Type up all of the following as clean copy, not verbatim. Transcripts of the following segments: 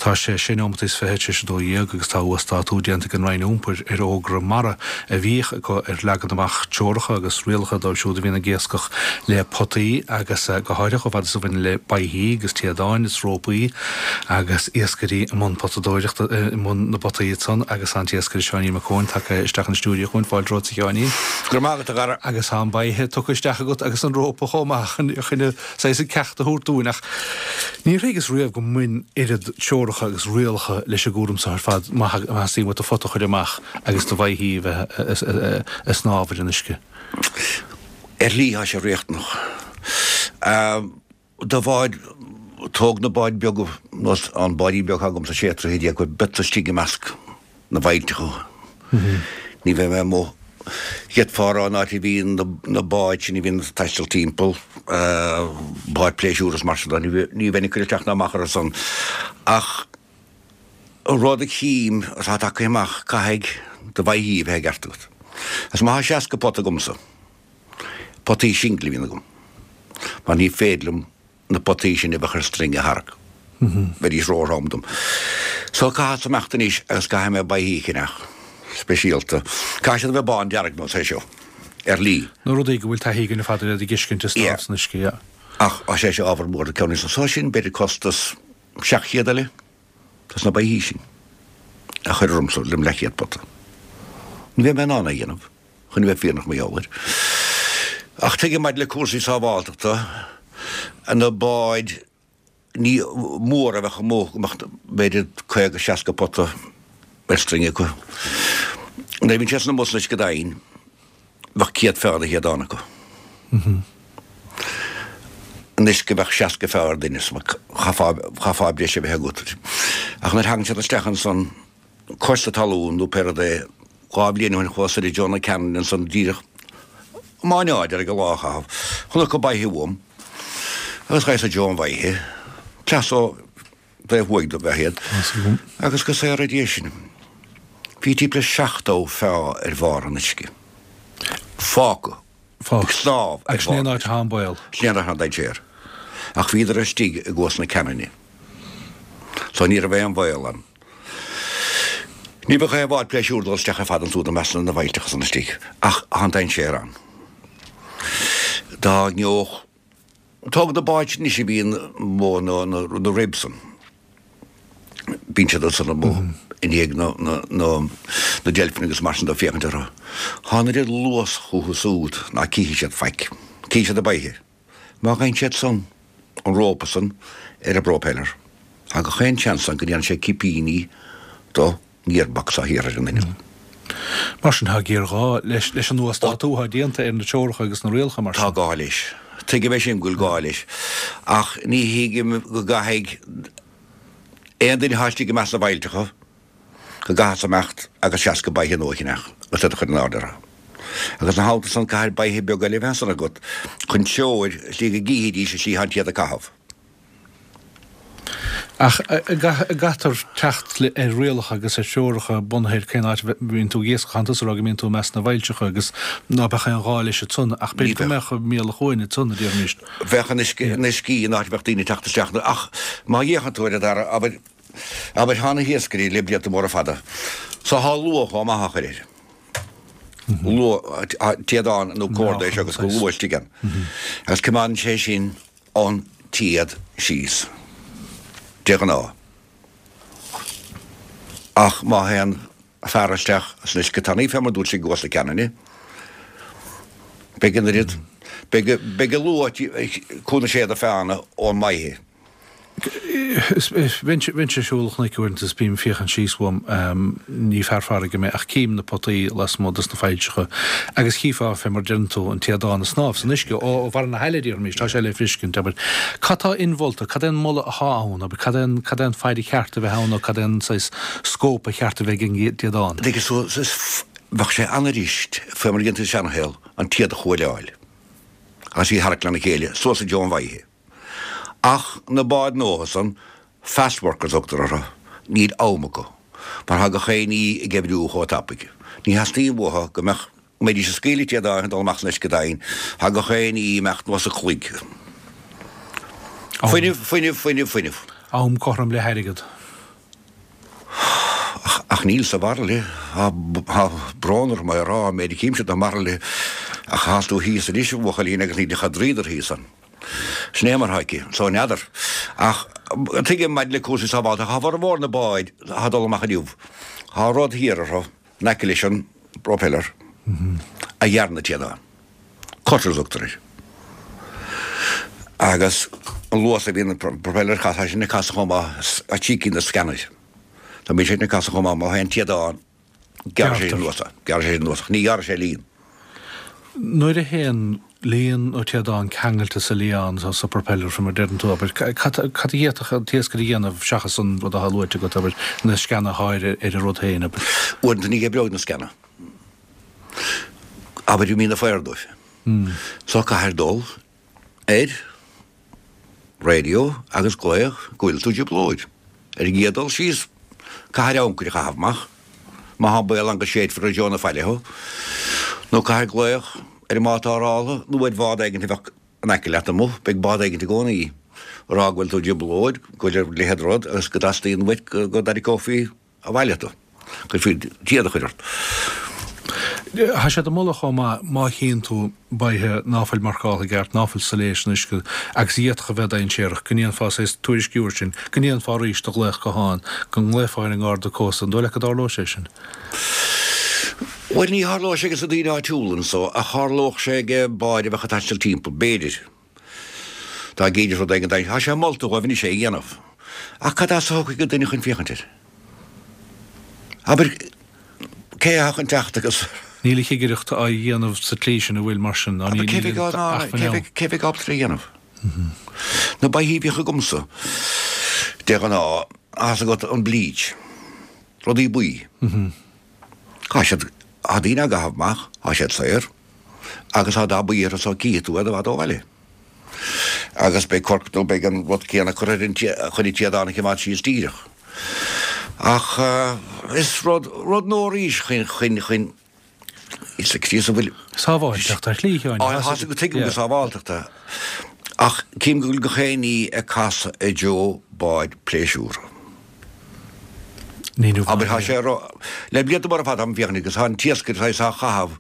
Tá sé sé neomat is 26 agus tá uasdátú déanta ag an Roinn Iompair ar fhógra mara a bhíodh acu ar leagan amach treoracha agus rialacha dóibh siúd a bhíonn ag iascach le potaí agus go háirithe chomh fada is a bhaineann le boichí agus téadáin is rópaí agus iascairí i mbun potadóireachta i mbun na bpotaí ansan agus an t-iascaire Seáinín Mac Eoin tagtha isteach an stiúideo chugainn. Fáilte romhat a Sheáinín. Go raibh maith agat a Dhara. Agus tá an boiche tugtha isteach agat agus an rópa chomh maith chun saghas an ceacht a thabhairt dúinn ach níor thuigeas riamh go mbain oiread treoracha agus rialacha leis an gcúram seo ar fad má theastaíonn uait do phota a chur amach agus do bhoichí a bheith ag snámh ar an uisce. Ar shlí tá sé riachtanach. Do bháid, tóg na báid beaga nós an báidín beag agamsa sé troithe, beadsa istigh i measc na bhfaillteacha. Ní bheidh mé amuigh. D'fhéadfá a rá an áit a bhíonn na báid sin a bhíonn ag taisteal timpeall, báid pléisiúir is mar sin de, ní bheinn ag cur isteach ná amach orthu san. Ach rud a chím atá tagtha amach, caithfidh do bhoichí a bheith i gceart agat. Agus má tá 60 pota agamsa, potaí singil a bhíonn agam, mar ní féidir liom na potaí sin a bheadh ar string a tharrac. Bheidís róthrom dom. So caithfeadsa imeacht anois agus caithfidh mé boichí a cheannach, speisialta. Caithfidh siad a bheith bándearg nós é seo, ar shlí. Na rudaí go bhfuil taithí againn ar fad ar iad a fheiscint ag snámh san uisce, yeah. Ach tá sé seo ábhar mór do ceann níos So sin b'fhéidir costas 700 eile dos na boichí sin a chur ormsa lem leathchéad pota. Ní bheidh mé in ann é a dhéanamh. chun a bheith fírinneach mar gheall air. Ach tuigim maidir le cúrsaí sábháilteachta, na báid ní móra a bheadh amuigh, go mbeadh b'fhéidir 50, 60 pota ar string acu. Nuair a bhíonn siad san amuigh san uisce domhain, bheadh 100 feá de théadán acu. Anois go mbeadh 60 feá ar duine, chaithfeá breis a bheith agat. Ach nuair a thagann siad isteach ansan, cois na talún nó pé rud é, 2 bhliain ó shin chuas soir i dtreo na Ceanainne ansan díreach i Máigh Nuad ag an lá a chaitheamh. Chonac boiche uaim agus ghabhas i dtreo an bhoiche, cleas ó taobh thuaidh dob ea iad, agus go saora Dia sinn. Bhí timpeall le 70 feá ar bharr an uisce. Fágtha. Ag snámh ar Agus sin é an áit atá an baol. Sin é an áit atá an dainséar. Ach bhíodar istigh i gcuas na Ceanainne. So ní raibh aon bhaol ann. Ní bheadh aon bhád pléisiúir dul isteach ar fad ansúd i measc na bhfaillteacha san istigh, ach tá an dainséar ann. Dá ngeobhadh. Tóg na báid sin anois a bhíonn amuigh na na ribs san. Bíonn siad ansan amuigh i ndiaidh na na na na deilfeanna agus mar sin de ag féachaint orthu. Tá an oiread luas chucu súd ná cífidh siad faic. Cífidh siad an boiche. Má gheibheann siad san, an rópa san, ar an bpropeller, tá gach aon seans ann go ndéanfaidh sé cipíní do gearbox thiar ar an inneall. Mar sin, tá géarghá leis leis an uasdátú atá déanta ar na treoracha agus na rialacha mar sin. Tá gá leis. Tuigim é sin go bhfuil gá leis. Ach ní thuigim go gcaithfidh aon duine atá istigh i measc na bhfaillteacha, go gcaithfeas imeacht agus 60 boiche nua a cheannach agus iad a chur in airde orthu. Agus ina theannta san caithfidh boiche beag eile a bheith ansan agat chun treoir, slí go gcífidís an slí atá an téad ag caitheamh. Ach an gcaithfear teacht ar rialacha agus ar threoracha bunaithe ar cén áit a mbíonn tú ag iascach. Tánn tusa ag rá go mbíonn tú i measc na bhfaillteacha agus ná beadh aon ghá leis ansan, ach b'fhéidir go mbeadh mialach uainn ansan, a déarfaimis. Bheadh in uiscí in áit a bheadh daoine ag teacht isteach, ach má fhéachann tú ar an dara, abair, abair, tá na hiascairí le blianta móra fada, so tá luaith chomh maith á chur air. Luaith, téadán nó corda é seo agus go luaith istigh ann. Agus coimeádann sé sin an téad síos, de ghnáth. Ach má théann fear isteach san uisce tanaí, fé mar dúirt sé i gCuas na Ceanainne, beidh an oiread, beidh, beidh an luaith cúl na séada feánna ón mboiche. Bheinnse ag siúl an chnoic uaireanta is bím ag féachaint síos uaim, ní fear farraige mé, ach cím na potaí lasmuigh dos na faillseacha agus chífeá, fé mar a deireann tú, an téadán ag snámh san uisce ó bharra na haille, déarfaimis, tá sé le feiscint, abair. Cad tá inmholta, cad é an moladh athá ann, abair, cad é an, cad é an faid a cheart a bheith ann nó cad é an saghas scóip a cheart a bheith ag an dtéadán? Tuigeann tú, bheadh sé an-fhuirist, fé mar a dhéantaí sa seanshaol, an téad a chuailleáil agus í a tharrac lena chéile suas i dtreo an bhoiche. Ach na báid nua san, fast workers a thugtar orthu, níl am acu, mar tá gach aon ní ag oibriú chomh tapaidh. Ní theastaíonn uathu go mbeadh, go mbeidís ag scaoileadh téadáin ag dul amach san uisce domhain, tá gach aon ní ag imeacht nós an chloig. Fuinneamh, fuinneamh, fuinneamh, fuinneamh. Am cothrom le hairgead. níl sa bhairille, tá brón orm é a rá, an méid a chímse de bhairillí, ach thánn tú thíos anois, a bhuachaillín, agus níl ach dríodar thíos ann. Sin é mar atá aici. So, n'fheadar. Ach tuigim maidir le cúrsaí sábháilteachta, tá formhór na báid atá ag dul amach inniu, tá rud thiar orthu, in aice leis an bpropeller, a ghearrann na téadáin. Cutters a thugtar air. Agus an luas a bhíonn an propeller ag casadh, tá sin ag casadh chomh maith, tá trí cinn de sceanair. Dá mbíonn sé ag casadh chomh maith, má théann téadán, gearrfaidh sé sin anuas é, gearrfaidh sé sin anuas, ach ní ghearrfaidh sé líon. Nuair a théann líon nó téadán ceangailte sa lián, sa propeller, faoi mar a deireann tú, abair, cad a d'fhéadfadh an t-iascaire a dhéanamh seachas an rud atá luaite agat, abair, na sceana a shá ar an rud féin, abair? Uaireanta ní oibreoidh na sceana. Abair i mí na faobhar dóibh. So caithfir dul ar radio agus glaoch go bhfuil tú i dtrioblóid. Ar an gcéad dul síos, caithfir ancaire a chaitheamh amach, má tá baol ann go séidfear i dtreo na faille thú, nó caithfir glaoch ar an mbád tarrthála nó ar bhád éigin a bheadh in aice leat amuigh, beidh bád éigin i gcónaí, a rá go bhfuil tú i dtrioblóid, go bhfuil a leithéid de rud agus go dteastaíonn uait go dtarraiceofaí abhaile tú, go gcuirfí téad a chur ort. Tá siad ag moladh chomh maith, má chíonn tú baighe ná fuil marcáltha i gceart, ná fuil soiléir san uisce agus a d'fhéadfadh a bheith dainséarach, go ndéanfá saghas tuairisciú air sin, go ndéanfá arís do ghlaoch gutháin, go nglaofá ar an nGarda Cósta. An dóigh leat go dtarlóidh sé sin? Bhuel, ní tharlóidh sé ages na daoine áitiúla anso, ach tharlódh sé age báid a bheadh ag taisteal timpeall, b'fhéidir. Dá gcídís rud éigin dainséarach. Tá sé molta dhóibh anois é a dhéanamh. Ach cad as a thiocfaidh an duine chun féachaint air? Abair, cé atá chun teacht agus. Níl an chigireacht á dhéanamh sa tslí sin, an bhfuil, mar sin? Ná níl an acmhainn ann. Cé bheidh ábalta é a dhéanamh? Na baithí a bhíodh agamsa, de ghnáth, tá 's agat an bleach, rudaí buí. Tá siad, tá daoine á gcaitheamh amach, tá siad saor. Agus tá dath buí orthu so cífidh tú iad i bhfad ó bhaile. Agus beidh corc nó beidh an rud céanna curtha ar an chun an téadán a choimeád síos díreach. Ach is rud, rud nua arís chun, chun, chun, is ag síos a bhfuil. Sábháilteacht ar shlí, Sheáin. Tá 's agat tuigim go sábháilteacht é. Ach cím go bhfuil gach aon ní ag casadh i dtreo báid pléisiúrtha. Abair, tá sé ró, le blianta móra fada táim ag féachaint agus tá an t-iascaire saghas á chaitheamh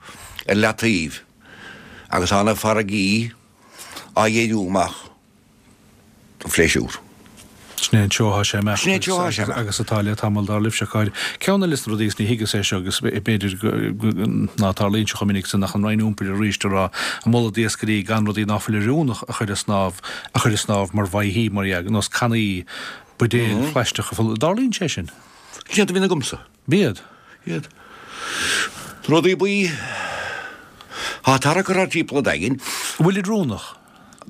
ar leataobh agus tá na farraigí á dhíriú amach don phléisiúr. Sin é an treo atá sé imeacht Sin é an treo atá sé imeacht. agus atá le tamall dar libhse, a Cháire. Ceann eile de na rudaí agus ní thuigeas é seo agus b'fhéidir ná tarlaíonn sé chomh minic sin ach an Roinn Iompair arís ag rá ag moladh d'iascairí gan rudaí ná fuil oiriúnach a chur ag snámh a chur ag snámh mar bhaithí mar dhea, nós cannaí, buidéil phlaisteacha folamh. Dtarlaíonn sé sin? Sin iad a bhíonn agamsa. B'iad. Iad. Rudaí buí. Tá tarrac orthu timpeall an Daingin. An bhfuilid oiriúnach?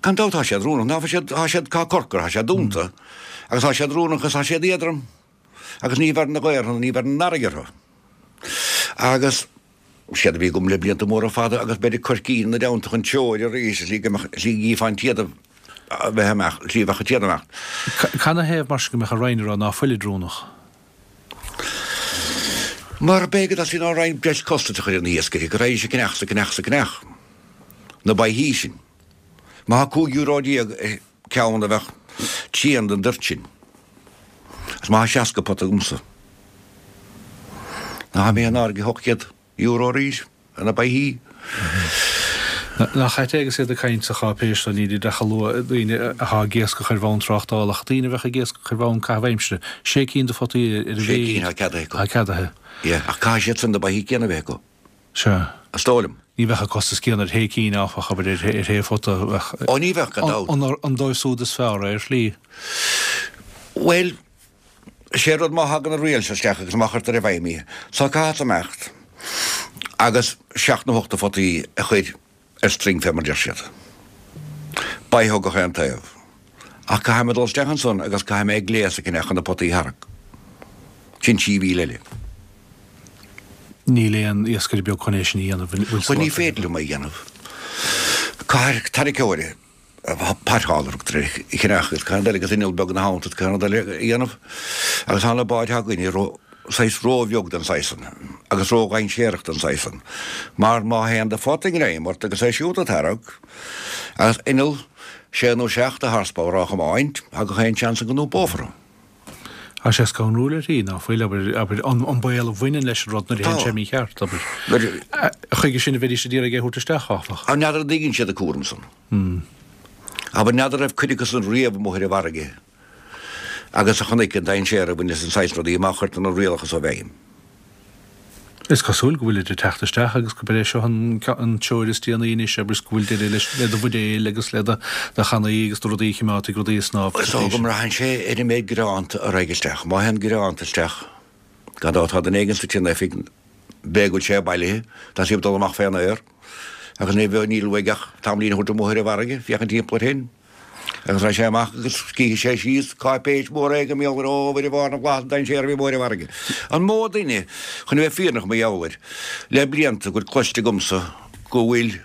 Gan dabht tá siad oiriúnach. Ná siad, tá siad, tá corcra, tá siad dúnta. Agus tá siad oiriúnach agus tá siad éadrom. Agus ní bheireann an ghaoth orthu, ní bheireann an fharraige orthu. Agus Siad a bhí agam le blianta móra fada agus b'fhéidir coircín ina dteannta chun treoir arís i slí go mbeadh, slí go gcífeá an téad a bheith amach, slí a bheadh an téad amach. Canathaobh mar sin go mbeadh an Roinn ag rá ná fuilid oiriúnach? Mar b'fhéidir go dteastaíonn ón Roinn breis costais a chur ar na hiascairí, go raghaidís ag ceannach 's ag ceannach 's ag ceannach na baithí sin. Má tá €15 ar ceann a bheadh trian den dtoirt sin. Is má tá 60 pota agamsa. Ná mé in airde €800 arís ar na baithí. Nach ait é agus iad ag caint sa cháipéis seo, nílid ach ag lua daoine atá ag iascach ar bhonn tráchtála, ach daoine a bheadh ag iascach ar bhonn caitheamh aimsire, sé cinn de photaí ar a mhéid. Sé cinn atá ceadaithe acu. Atá ceadaithe. Yeah, ach caithfidh siad san na baithí céanna a bheith acu. Sea. Is dóigh liom. Ní bheadh an costas céanna ar shé cinn, áfach, abair, ar shé phota. Ó, ní bheadh, gan dabht. An dóibh súd is fearr é, ar shlí? Bhuel, sé an rud má thagann an riail seo isteach agus má chuirtear i bhfeidhm í, so caithfeadsa imeacht agus seacht nó ocht de photaí a chur ar string fé mar deir siad. Baithe ó gach aon taobh. Ach caithfidh mé dul isteach ansan agus caithfidh mé gléas a cheannach chun na potaí a tharrac. Sin 3,000 eile. Níl aon iascaire beag chun é sin a dhéanamh, an bhfuil Bhuel ní féidir liom é a dhéanamh. Caithfidh tarraiceoir pot hauler a thugtar air, a cheannach agus caithfidh eile agus inneall beag ina theannta caithfidh rud eile a dhéanamh. Agus tá na báid atá againne ró, saghas ró-bheag don saghas san agus ró-dhainséarach don saghas san. Mar má théann do phota i ngreim ort agus é siúd á tarrac agus inneall sé nó seacht de horsepower á chomáint, tá gach aon seans ann go n-iompófar thú. Tá sé scanrúil uirthi, ná fuil, abair, abair, an, an baol a bhaineann leis an rud nuair a théann sé mícheart, abair. Chuige sin a bheidís ag iarraidh é a thabhairt isteach, áfach. Ach n'fheadar an dtuigeann siad an cúram san. Abair, n'fheadar raibh cuid acu san riamh amuigh ar an bhfarraige agus a chonaic an dainséar a bhain leis an saghas rudaí má chuirtear na rialacha so i bhfeidhm. Is cosúil go bhfuilid ag teacht isteach agus gurb é seo an treoir is déanaí anois agus go bhfuil deireadh leis le do bhuidéil agus le do channaí agus do rudaí a chimeádfaidh rudaí ag snámh. Is dócha go mbraitheann sé ar an méid greanta a raghaidh isteach. Má théann greanta isteach, gan dabht tá duine éigin suite in oifig, b'fhéidir go bhfuil sé bailithe, tá sé ag dul amach fén aer agus ní bheadh, níl uaidh ach tamaillín a thabhairt amuigh ar an bhfarraige, féachaint timpeall air féin. Agus raghaidh sé amach agus cífidh sé síos cáipéis mhór éigin mar gheall ar ó Mhuire Mhár na bhFlaitheas an dainséar a bhí amuigh ar an bhfarraige. An mó duine, chun a bheith fírinneach mar gheall air, le blianta go bhfuil cloiste agamsa go bhfuil,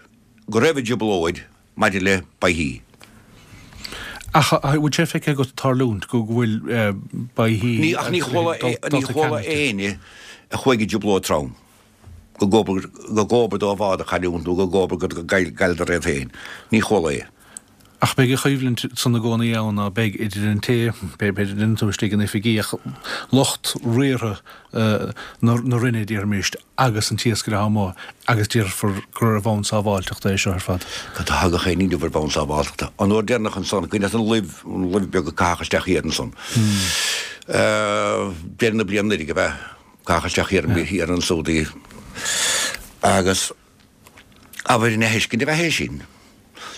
go raibh i dtrioblóid maidir le beithígh. Ach an bhfuil sé feicthe agat tarlúint go bhfuil beithígh Ní, ach ní chuala, ní chuala éinne a chuaigh i dtrioblóid trom. go gcóbair, go gcóbair dó a bhád a chailliúint nó go gcóbair go gcailleadar iad féin. Ní chuala é. Ach beidh an choimhlint san i gcónaí ann, ná beidh, idir an té, b'fhéidir an tú istigh in oifigí, ach lucht riartha na Roinne, déarfaimis, agus an t-iascaire atá amuigh, agus déarfar gur ar bhonn sábháilteachta é seo ar fad. Cad a thagadh aon ní inniu ar bhonn sábháilteachta? An uair deireanach ansan, cuimhin leat an luibh, an luibh beag a caitheadh isteach thiar ansan? Deireadh na bliana anuraidh, ab ea? Caitheadh isteach thiar thiar ansúd í agus abair ina thuiscint a bheith é sin.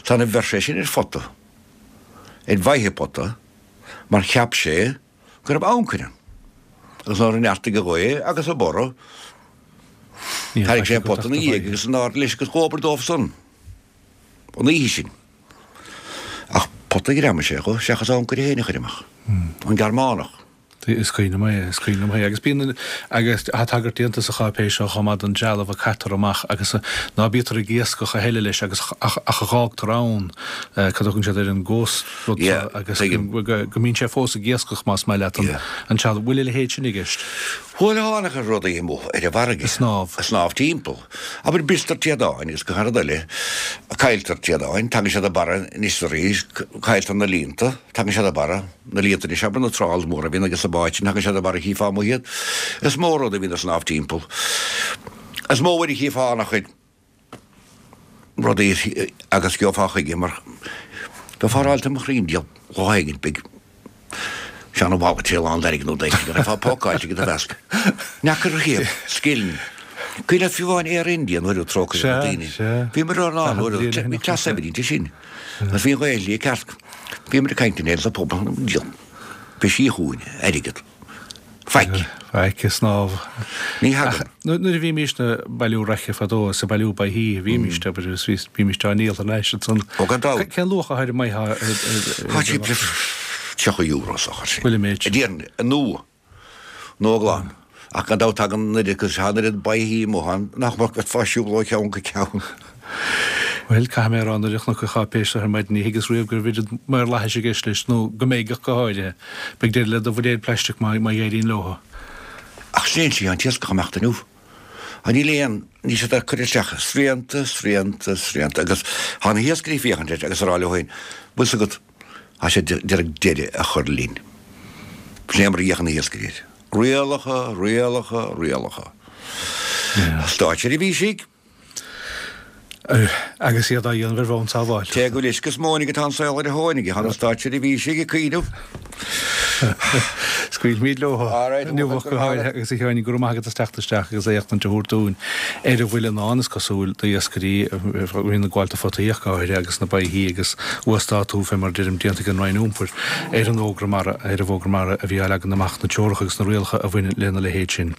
Tá na bheir sé sin ar phota, ar bhaithe pota, mar cheap sé go raibh ancaire ann. Agus nuair a neartaigh an ghaoth agus an borradh, tharraing sé an pota ina dhiaidh agus in airde leis agus dhóbair dóibh san an oíche sin. Ach pota a ghreamaigh sé dho seachas ancaire féin a chuir amach. An Gearmánach. Is cuimhin liom é, is cuimhin liom é. Agus bíonn, agus tá tagairt déanta sa cháipéis seo chomh maith don trealamh a caitear amach agus ná bítear ag iascach a thuilleadh leis agus ach a dh'fhágtar ann, cad a thugann siad air, an ghost rud seo agus go mbíonn sé fós ag iascach más maith leat an trealamh. Bhfuil a leithéid sin i gceist? Bhuel, tháinig rudaí amuigh ar an bhfarraige. Ag snámh. Ag snámh timpeall. Abair bristear téadáin agus gach rud eile, cailltear téadáin, tagann siad a barra anois is arís, cailltear na líonta, tagann siad a barra. na líonta anois, abair na trawls móra a bhíonn ages na báid sin, thagann siad a barra chífeá amuigh iad. Is mó rud a bhíonn ag snámh timpeall. Is mó uair a chífeá an-chuid rudaí agus gheofá chuige mar bheifeá ag rá tá mo chroí im dhiaidh lá éigin beidh seana wallet lán d'airgead nó d'airgead go raibh pacáilte aige do mheasc. N'fheacair riamh scilling. Cuimhin leat fiú amháin Air India nuair a trócaire ar na daoine. Bhíomar ar an uair bhí cleas saibhir inti sin. Agus bhí an Ghaeilge ceart. Bhíomar ag caint in éadan sa phuball. Bhí sí chugainn, airgead. Faic. Faic, ag snámh. Ní thagann. Nuair a bhímís ag bailiú raice fadó, is ag bailiú beithígh a bhímís, abair, agus bhímís á ndíol thar n-ais ansan. Ó gan dabht. Cén luach atá ar an mbeithíoch ar. Tá sí €30 sa chor sin. Bhfuil an méid sin. Déarfainn, nua. Nua glan. Ach gan dabht tagann an oiread agus tá an oiread beithígh amuigh ann nach mbeadh bheifeá ag siúl ó cheann go ceann. Bhuel, caithfidh mé a rá nuair a chonac an cháipéis seo ar maidin ní thuigeas riamh go raibh oiread maorlathais i gceist leis, nó go mbeidh ach go háirithe. Beidh deireadh le do bhuidéil plaisteach má éiríonn leo. Ach sin é an tslí an t-iascach ag imeacht inniu. Ach níl aon, níl siad ag cur isteach srianta, srianta, srianta agus tá na hiascairí ag féachaint air agus ag rá leo féin, bhfuil 's agat, Tá siad d'iarraidh deireadh a chur linn. Sin é mar a fhéachann na hiascairí air. Rialacha, rialacha, rialacha. Státseirbhísigh. Agus iad á dhéanamh ar bhonn sábháilteachta. Cé go bhfuil uisce is móin aige tá an saol ar a thóin aige. Tá na státseirbhísigh ag cuimhneamh. Scaoilfimid leo inniu ach go háirithe agus a Sheáin, go raibh maith agat as teacht isteach agus éachtaint a thabhairt dúinn ar a bhfuil i ndán, is cosúil, d'iascairí a bhíonn ag gabháil do photaí ach go háirithe agus na beithígh agus uasdátú fé mar a deirim déanta ag an Roinn Iompair ar an bhfógra mara, ar an bhfógra mara a bhí á leagan amach, na treoracha agus na rialacha a bhaineann lena leithéid sin.